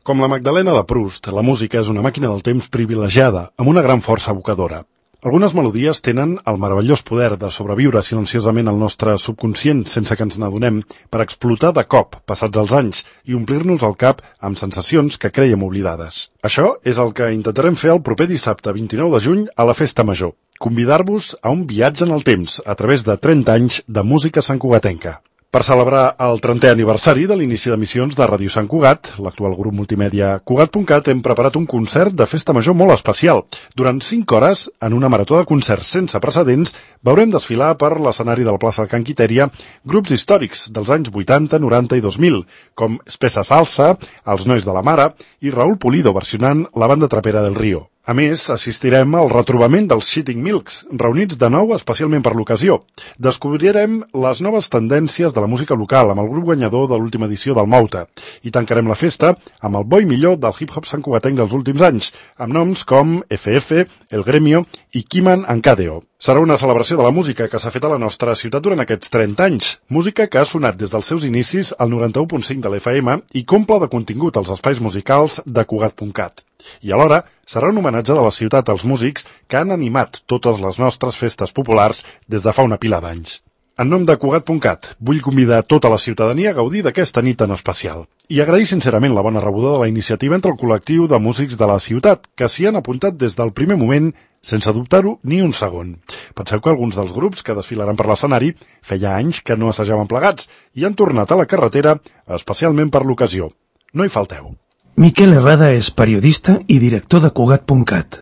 Com la Magdalena de Proust, la música és una màquina del temps privilegiada, amb una gran força evocadora. Algunes melodies tenen el meravellós poder de sobreviure silenciosament al nostre subconscient sense que ens n'adonem per explotar de cop, passats els anys, i omplir-nos el cap amb sensacions que crèiem oblidades. Això és el que intentarem fer el proper dissabte 29 de juny a la Festa Major. Convidar-vos a un viatge en el temps a través de 30 anys de música santcugatenca. Per celebrar el 30è aniversari de l'inici d'emissions de Ràdio Sant Cugat, l'actual grup multimèdia Cugat.cat, hem preparat un concert de festa major molt especial. Durant 5 hores, en una marató de concerts sense precedents, veurem desfilar per l'escenari de la plaça de Can Quitèria grups històrics dels anys 80, 90 i 2000, com Espessa Salsa, Els Nois de la Mare i Raúl Pulido versionant la banda trapera del Río. A més, assistirem al retrobament dels Shitting Milks, reunits de nou especialment per l'ocasió. Descobrirem les noves tendències de la música local amb el grup guanyador de l'última edició del Mouta i tancarem la festa amb el bo i millor del hip-hop santcugatenc dels últims anys, amb noms com FF, El Gremio i Kiman Ancadeo. Serà una celebració de la música que s'ha fet a la nostra ciutat durant aquests 30 anys, música que ha sonat des dels seus inicis al 91.5 de l'FM i comple de contingut als espais musicals de Cugat.cat. I alhora serà un homenatge de la ciutat als músics que han animat totes les nostres festes populars des de fa una pila d'anys. En nom de Cugat.cat, vull convidar tota la ciutadania a gaudir d'aquesta nit tan especial i agrair sincerament la bona rebuda de la iniciativa entre el col·lectiu de músics de la ciutat, que s'hi han apuntat des del primer moment sense dubtar-ho ni un segon. Penseu que alguns dels grups que desfilaran per l'escenari feia anys que no assajaven plegats i han tornat a la carretera especialment per l'ocasió. No hi falteu. Miquel Herrada és periodista i director de Cugat.cat.